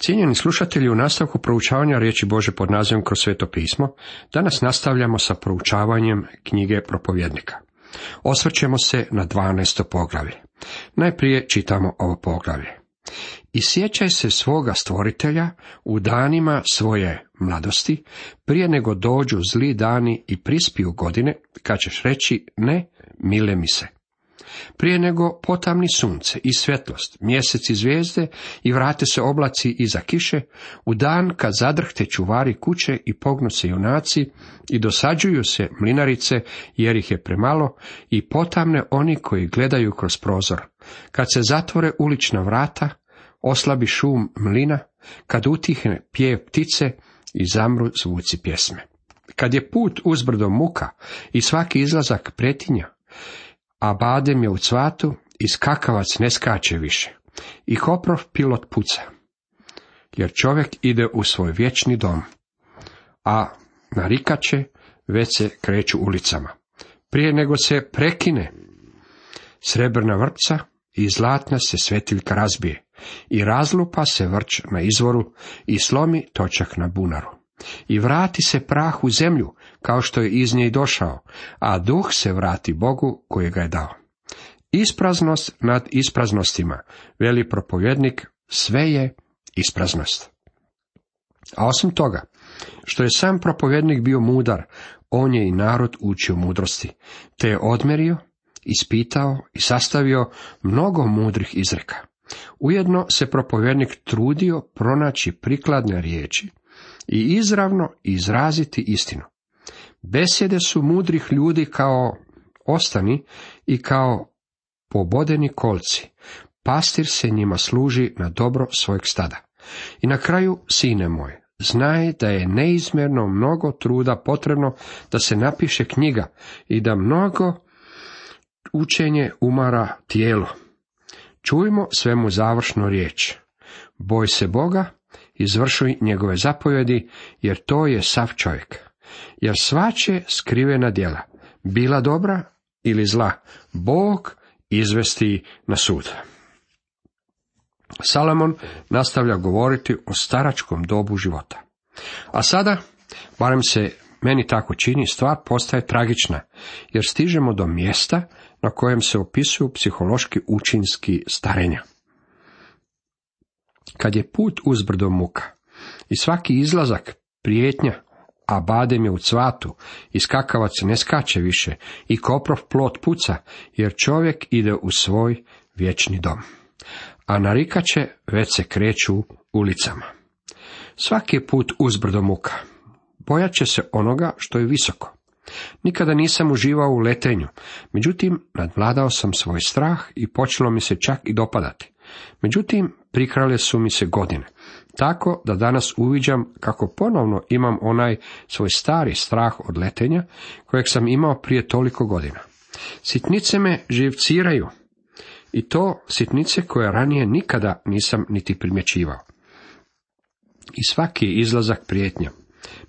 Cijenjeni slušatelji, u nastavku proučavanja riječi Bože pod nazivom Kroz sveto pismo, danas nastavljamo sa proučavanjem knjige Propovjednika. Osvrćemo se na 12. poglavlje. Najprije čitamo ovo poglavlje. I sjećaj se svoga stvoritelja u danima svoje mladosti, prije nego dođu zli dani i prispiju godine, kad ćeš reći ne, mile mi se. Prije nego potamni sunce i svjetlost, mjesec i zvijezde i vrate se oblaci iza kiše, u dan kad zadrhte čuvari kuće i pognu se junaci i dosađuju se mlinarice jer ih je premalo i potamne oni koji gledaju kroz prozor, kad se zatvore ulična vrata, oslabi šum mlina, kad utihne pjev ptice i zamru zvuci pjesme. Kad je put uzbrdo muka i svaki izlazak pretinja, a badem je u cvatu i skakavac ne skače više, i koprov pilot puca, jer čovjek ide u svoj vječni dom, a narikače već se kreću ulicama. Prije nego se prekine srebrna vrpca i zlatna se svetiljka razbije, i razlupa se vrč na izvoru i slomi točak na bunaru. I vrati se prah u zemlju, kao što je iz nje došao, a duh se vrati Bogu koji ga je dao. Ispraznost nad ispraznostima, veli propovjednik, sve je ispraznost. A osim toga, što je sam propovjednik bio mudar, on je i narod učio mudrosti, te je odmerio, ispitao i sastavio mnogo mudrih izreka. Ujedno se propovjednik trudio pronaći prikladne riječi i izravno izraziti istinu. Besjede su mudrih ljudi kao ostani i kao pobodeni kolci. Pastir se njima služi na dobro svojeg stada. I na kraju, sine moj, znaj da je neizmjerno mnogo truda potrebno da se napiše knjiga i da mnogo učenje umara tijelo. Čujmo svemu završnu riječ. Boj se Boga, izvršuj njegove zapovjedi, jer to je sav čovjek. Jer svače skrivena djela, bila dobra ili zla, Bog izvesti na sud. Salomon nastavlja govoriti o staračkom dobu života. A sada, barem se meni tako čini, stvar postaje tragična, jer stižemo do mjesta na kojem se opisuju psihološki učinci starenja. Kad je put uzbrdo muka i svaki izlazak prijetnja, a badem je u cvatu i skakavac ne skače više i koprov plot puca, jer čovjek ide u svoj vječni dom, a narikače već se kreću ulicama. Svaki je put uzbrdo muka. Bojat će se onoga što je visoko. Nikada nisam uživao u letenju, međutim nadvladao sam svoj strah i počelo mi se čak i dopadati. Međutim, prikrale su mi se godine, tako da danas uviđam kako ponovno imam onaj svoj stari strah od letenja, kojeg sam imao prije toliko godina. Sitnice me živciraju, i to sitnice koje ranije nikada nisam niti primjećivao. I svaki je izlazak prijetnja.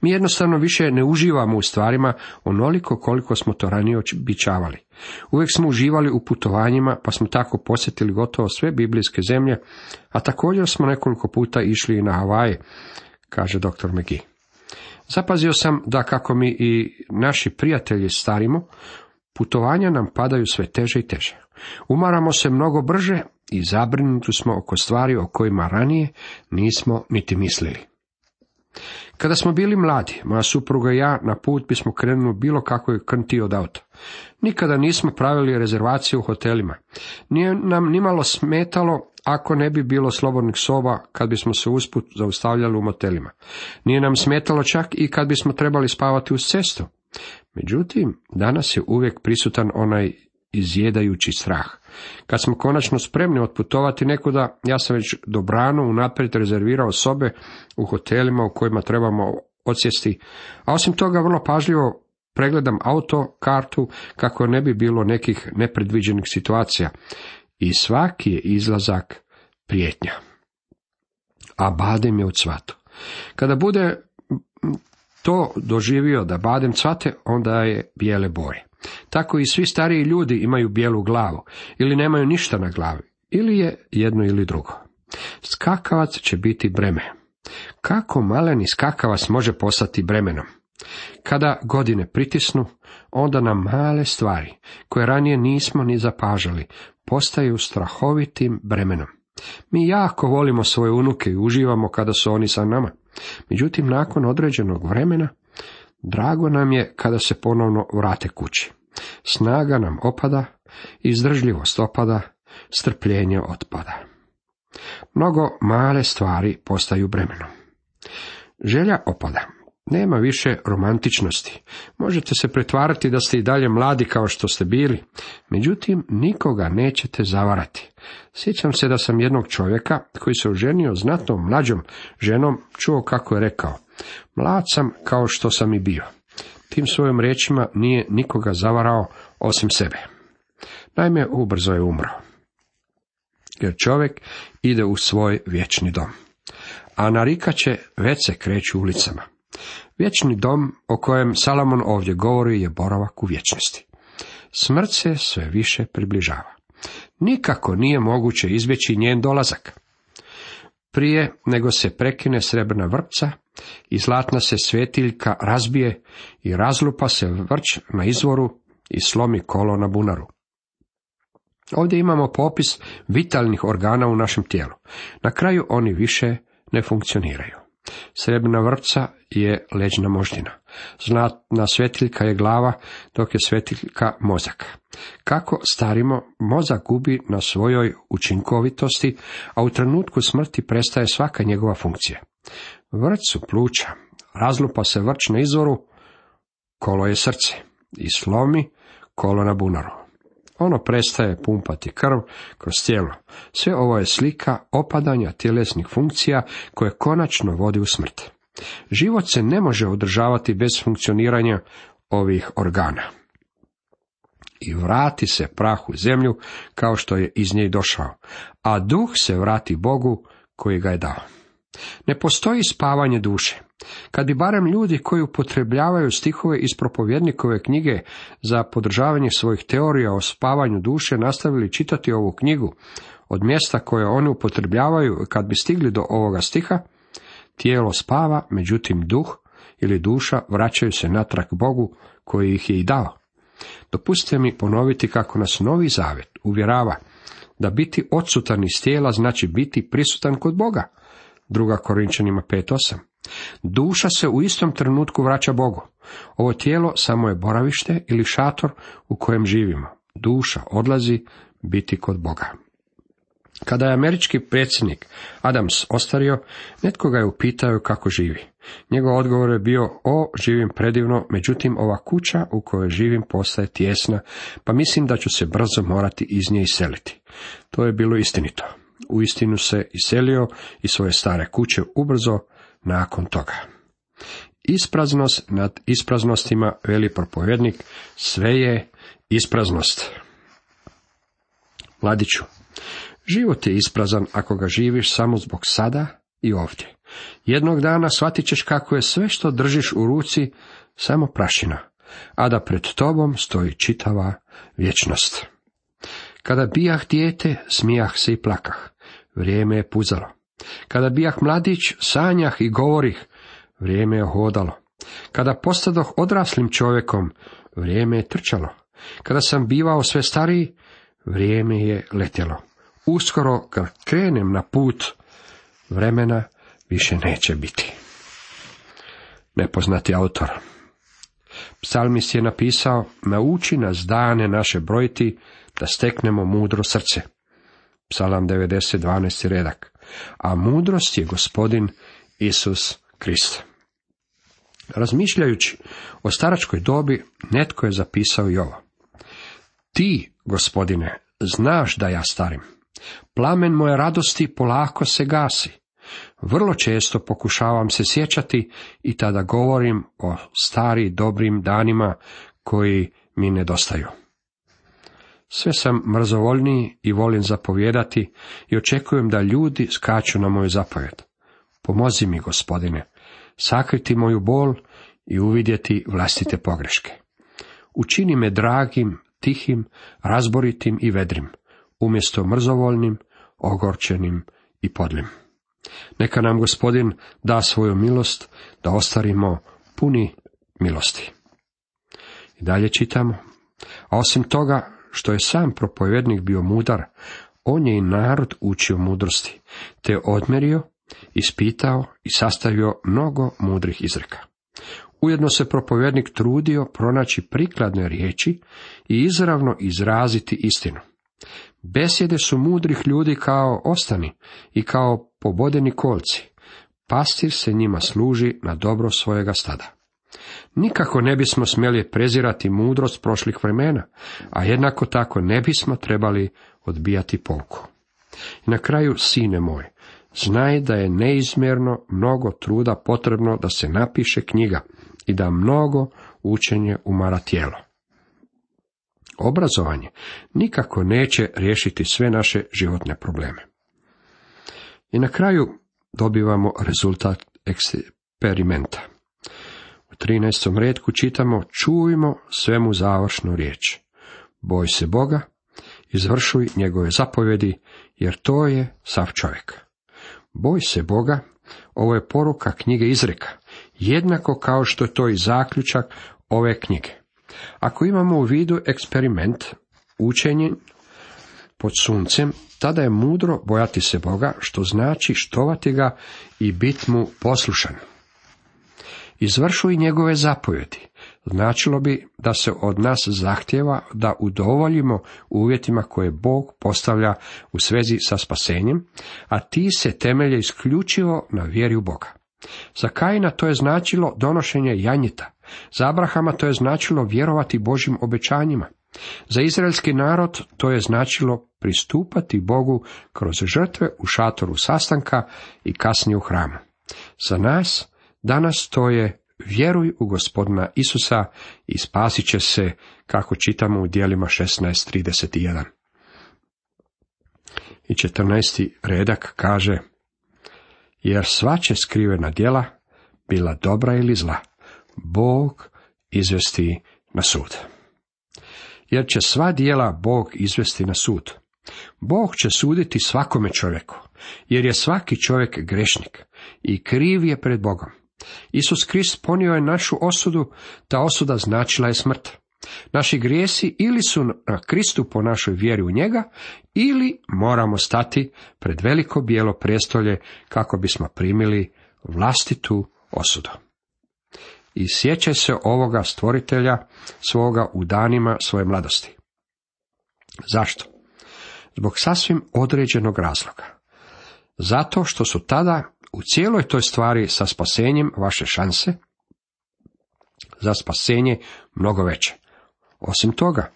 Mi jednostavno više ne uživamo u stvarima onoliko koliko smo to ranije običavali. Uvijek smo uživali u putovanjima, pa smo tako posjetili gotovo sve biblijske zemlje, a također smo nekoliko puta išli i na Havaje, kaže dr. McGee. Zapazio sam da kako mi i naši prijatelji starimo, putovanja nam padaju sve teže i teže. Umaramo se mnogo brže i zabrinuti smo oko stvari o kojima ranije nismo niti mislili. Kada smo bili mladi, moja supruga i ja na put bismo krenuli u bilo kakvoj krnti od auta. Nikada nismo pravili rezervacije u hotelima. Nije nam nimalo smetalo ako ne bi bilo slobodnih soba kad bismo se usput zaustavljali u motelima. Nije nam smetalo čak i kad bismo trebali spavati uz cestu. Međutim, danas je uvijek prisutan onaj izjedajući strah. Kad smo konačno spremni otputovati nekuda, ja sam već dobrano unaprijed rezervirao sobe u hotelima u kojima trebamo odsjesti, a osim toga vrlo pažljivo pregledam auto, kartu, kako ne bi bilo nekih nepredviđenih situacija. I svaki je izlazak prijetnja. A badem je u cvatu. Kada bude to doživio da badem cvate, onda je bijele boje. Tako i svi stariji ljudi imaju bijelu glavu, ili nemaju ništa na glavi, ili je jedno ili drugo. Skakavac će biti breme. Kako maleni skakavac može postati bremenom? Kada godine pritisnu, onda nam male stvari, koje ranije nismo ni zapažali, postaju strahovitim bremenom. Mi jako volimo svoje unuke i uživamo kada su oni sa nama. Međutim, nakon određenog vremena, drago nam je kada se ponovno vrate kući. Snaga nam opada, izdržljivost opada, strpljenje otpada. Mnogo male stvari postaju bremenom. Želja opada. Nema više romantičnosti. Možete se pretvarati da ste i dalje mladi kao što ste bili, međutim nikoga nećete zavarati. Sjećam se da sam jednog čovjeka koji se oženio znatno mlađom ženom čuo kako je rekao: mlad sam kao što sam i bio. Tim svojim riječima nije nikoga zavarao osim sebe. Naime, ubrzo je umro. Jer čovjek ide u svoj vječni dom. A narikače već se kreću ulicama. Vječni dom o kojem Salomon ovdje govori je boravak u vječnosti. Smrt se sve više približava. Nikako nije moguće izbjeći njen dolazak. Prije nego se prekine srebrna vrpca i zlatna se svetiljka razbije i razlupa se vrč na izvoru i slomi kolo na bunaru. Ovdje imamo popis vitalnih organa u našem tijelu. Na kraju oni više ne funkcioniraju. Srebrna vrpca je leđna moždina. Zlatna svetiljka je glava, dok je svetiljka mozak. Kako starimo, mozak gubi na svojoj učinkovitosti, a u trenutku smrti prestaje svaka njegova funkcija. Vrč su pluća, razlupa se vrč na izvoru, kolo je srce i slomi kolo na bunaru. Ono prestaje pumpati krv kroz tijelo. Sve ovo je slika opadanja tjelesnih funkcija koje konačno vodi u smrt. Život se ne može održavati bez funkcioniranja ovih organa. I vrati se prah u zemlju kao što je iz nje došao, a duh se vrati Bogu koji ga je dao. Ne postoji spavanje duše. Kad bi barem ljudi koji upotrebljavaju stihove iz propovjednikove knjige za podržavanje svojih teorija o spavanju duše nastavili čitati ovu knjigu od mjesta koje oni upotrebljavaju, kad bi stigli do ovoga stiha, tijelo spava, međutim duh ili duša vraćaju se natrag Bogu koji ih je i dao. Dopustite mi ponoviti kako nas Novi Zavjet uvjerava da biti odsutan iz tijela znači biti prisutan kod Boga. 2. Korinčanima 5:8. Duša se u istom trenutku vraća Bogu. Ovo tijelo samo je boravište ili šator u kojem živimo. Duša odlazi biti kod Boga. Kada je američki predsjednik Adams ostario, netko ga je upitao kako živi. Njegov odgovor je bio: živim predivno, međutim ova kuća u kojoj živim postaje tijesna, pa mislim da ću se brzo morati iz nje iseliti. To je bilo istinito. Uistinu se iselio iz svoje stare kuće ubrzo nakon toga. Ispraznost nad ispraznostima, veli propovjednik, sve je ispraznost. Mladiću, život je isprazan ako ga živiš samo zbog sada i ovdje. Jednog dana shvatit ćeš kako je sve što držiš u ruci samo prašina, a da pred tobom stoji čitava vječnost. Kada bijah dijete, smijah se i plakah. Vrijeme je puzalo. Kada bijah mladić, sanjah i govorih. Vrijeme je hodalo. Kada postadoh odraslim čovjekom, vrijeme je trčalo. Kada sam bivao sve stariji, vrijeme je letjelo. Uskoro kad krenem na put, vremena više neće biti. Nepoznati autor. Psalmist je napisao: nauči nas dane naše brojiti, da steknemo mudro srce. Psalam 90, 12. redak. A mudrost je Gospodin Isus Krist. Razmišljajući o staračkoj dobi, netko je zapisao i ovo: ti, Gospodine, znaš da ja starim. Plamen moje radosti polako se gasi. Vrlo često pokušavam se sjećati i tada govorim o stari dobrim danima koji mi nedostaju. Sve sam mrzovoljniji i volim zapovijedati i očekujem da ljudi skaču na moju zapovjed. Pomozi mi, Gospodine, sakriti moju bol i uvidjeti vlastite pogreške. Učini me dragim, tihim, razboritim i vedrim, umjesto mrzovoljnim, ogorčenim i podlim. Neka nam Gospodin da svoju milost da ostarimo puni milosti. I dalje čitamo. A osim toga što je sam propovjednik bio mudar, on je i narod učio mudrosti, te odmerio, ispitao i sastavio mnogo mudrih izreka. Ujedno se propovjednik trudio pronaći prikladne riječi i izravno izraziti istinu. Besjede su mudrih ljudi kao ostani i kao pobodeni kolci. Pastir se njima služi na dobro svojega stada. Nikako ne bismo smjeli prezirati mudrost prošlih vremena, a jednako tako ne bismo trebali odbijati pouku. I na kraju, sine moj, znaj da je neizmjerno mnogo truda potrebno da se napiše knjiga i da mnogo učenje umara tijelo. Obrazovanje nikako neće riješiti sve naše životne probleme. I na kraju dobivamo rezultat eksperimenta. U 13. retku čitamo: čujmo svemu završnu riječ. Boj se Boga, izvršuj njegove zapovjedi, jer to je sav čovjek. Boj se Boga, ovo je poruka knjige Izreka, jednako kao što je to i zaključak ove knjige. Ako imamo u vidu eksperiment, učenje pod suncem, tada je mudro bojati se Boga, što znači štovati ga i biti mu poslušan. Izvršuj njegove zapovjedi. Značilo bi da se od nas zahtjeva da udovoljimo uvjetima koje Bog postavlja u svezi sa spasenjem, a ti se temelje isključivo na vjeri u Boga. Za Kaina to je značilo donošenje janjeta, za Abrahama to je značilo vjerovati Božjim obećanjima, za izraelski narod to je značilo pristupati Bogu kroz žrtve u šatoru sastanka i kasnije u hramu. Za nas danas to je vjeruj u Gospodina Isusa i spasit će se, kako čitamo u djelima 16:31. I 14. redak kaže: jer svače skrivena djela, bila dobra ili zla, Bog izvesti na sud. Jer će sva djela Bog izvesti na sud. Bog će suditi svakome čovjeku, jer je svaki čovjek grešnik i kriv je pred Bogom. Isus Krist ponio je našu osudu, ta osuda značila je smrt. Naši grijesi ili su na Kristu po našoj vjeri u njega, ili moramo stati pred veliko bijelo prijestolje kako bismo primili vlastitu osudu. I sjećaj se ovoga stvoritelja svoga u danima svoje mladosti. Zašto? Zbog sasvim određenog razloga. Zato što su tada u cijeloj toj stvari sa spasenjem vaše šanse za spasenje mnogo veće. Osim toga,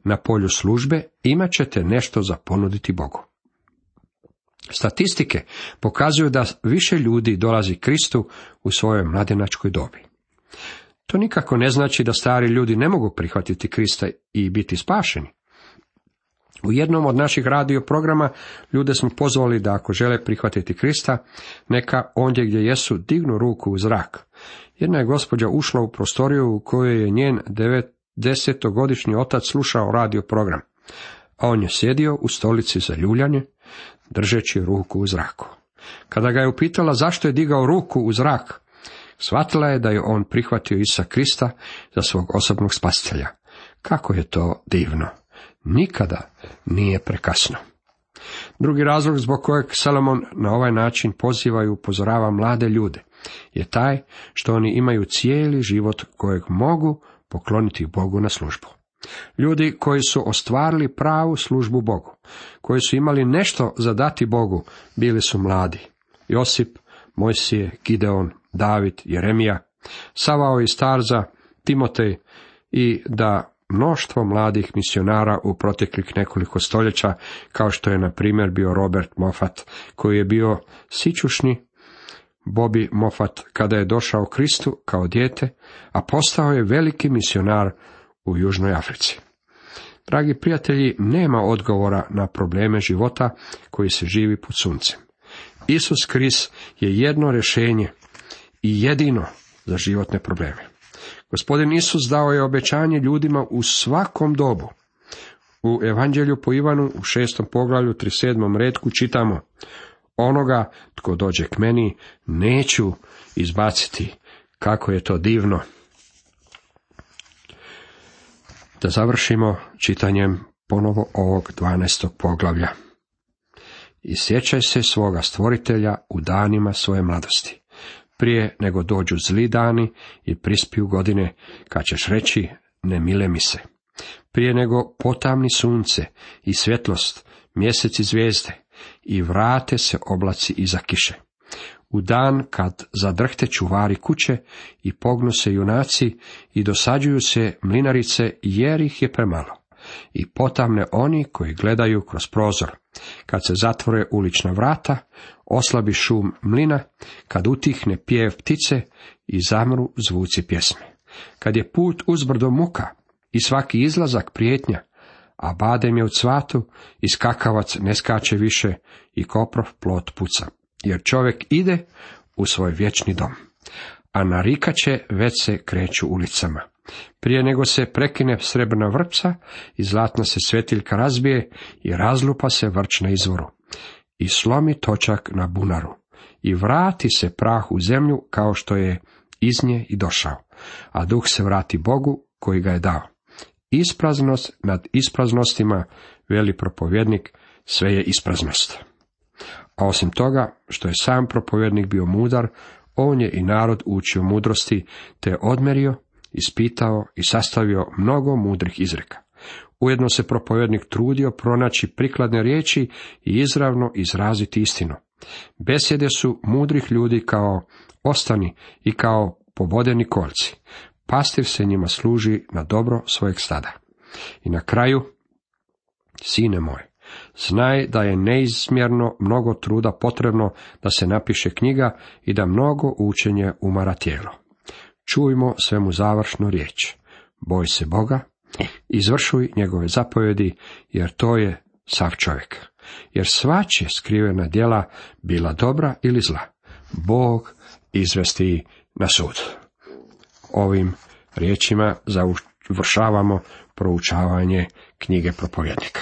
na polju službe imat ćete nešto za ponuditi Bogu. Statistike pokazuju da više ljudi dolazi Kristu u svojoj mladenačkoj dobi. To nikako ne znači da stari ljudi ne mogu prihvatiti Krista i biti spašeni. U jednom od naših radio programa ljude smo pozvali da ako žele prihvatiti Krista, neka ondje gdje jesu dignu ruku u zrak. Jedna je gospođa ušla u prostoriju u kojoj je njen 90-godišnji otac slušao radio program, a on je sjedio u stolici za ljuljanje, držeći ruku u zraku. Kada ga je upitala zašto je digao ruku u zrak, shvatila je da je on prihvatio Isusa Krista za svog osobnog spasitelja. Kako je to divno! Nikada nije prekasno. Drugi razlog zbog kojeg Salomon na ovaj način poziva i upozorava mlade ljude je taj što oni imaju cijeli život kojeg mogu pokloniti Bogu na službu. Ljudi koji su ostvarili pravu službu Bogu, koji su imali nešto za dati Bogu, bili su mladi. Josip, Mojsije, Gideon, David, Jeremija, Savao iz Tarza, Timotej i da mnoštvo mladih misionara u proteklih nekoliko stoljeća, kao što je na primjer bio Robert Moffat, koji je bio sićušni Bobby Moffat kada je došao Kristu kao dijete, a postao je veliki misionar u Južnoj Africi. Dragi prijatelji, nema odgovora na probleme života koji se živi pod suncem. Isus Krist je jedno rješenje i jedino za životne probleme. Gospodin Isus dao je obećanje ljudima u svakom dobu. U Evanđelju po Ivanu u 6. poglavlju 37. retku čitamo: Onoga tko dođe k meni neću izbaciti. Kako je to divno. Da završimo čitanjem ponovo ovog 12. poglavlja. I sjećaj se svoga stvoritelja u danima svoje mladosti, prije nego dođu zli dani i prispiju godine, kad ćeš reći ne mile mi se. Prije nego potamni sunce i svjetlost, mjesec i zvijezde, i vrate se oblaci iza kiše. U dan kad zadrhte čuvari kuće i pognu se junaci i dosađuju se mlinarice jer ih je premalo. I potamne oni koji gledaju kroz prozor. Kad se zatvore ulična vrata, oslabi šum mlina, kad utihne pjev ptice i zamru zvuci pjesme. Kad je put uzbrdo muka i svaki izlazak prijetnja, a badem je u cvatu i skakavac ne skače više i koprov plot puca. Jer čovjek ide u svoj vječni dom, a narikače već se kreću ulicama. Prije nego se prekine srebrna vrpca i zlatna se svjetiljka razbije i razlupa se vrč na izvoru i slomi točak na bunaru i vrati se prah u zemlju kao što je iz nje i došao, a duh se vrati Bogu koji ga je dao. Ispraznost nad ispraznostima, veli propovjednik, sve je ispraznost. A osim toga, što je sam propovjednik bio mudar, on je i narod učio mudrosti, te odmerio, ispitao i sastavio mnogo mudrih izreka. Ujedno se propovjednik trudio pronaći prikladne riječi i izravno izraziti istinu. Besjede su mudrih ljudi kao ostani i kao pobodeni kolci. Pastir se njima služi na dobro svojeg stada. I na kraju, sine moj, znaj da je neizmjerno mnogo truda potrebno da se napiše knjiga i da mnogo učenje umara tijelo. Čujmo svemu završnu riječ. Boj se Boga, izvršuj njegove zapovjedi, jer to je sav čovjek. Jer svačije skrivena djela, bila dobra ili zla, Bog izvesti na sud. Ovim riječima završavamo proučavanje knjige Propovjednika.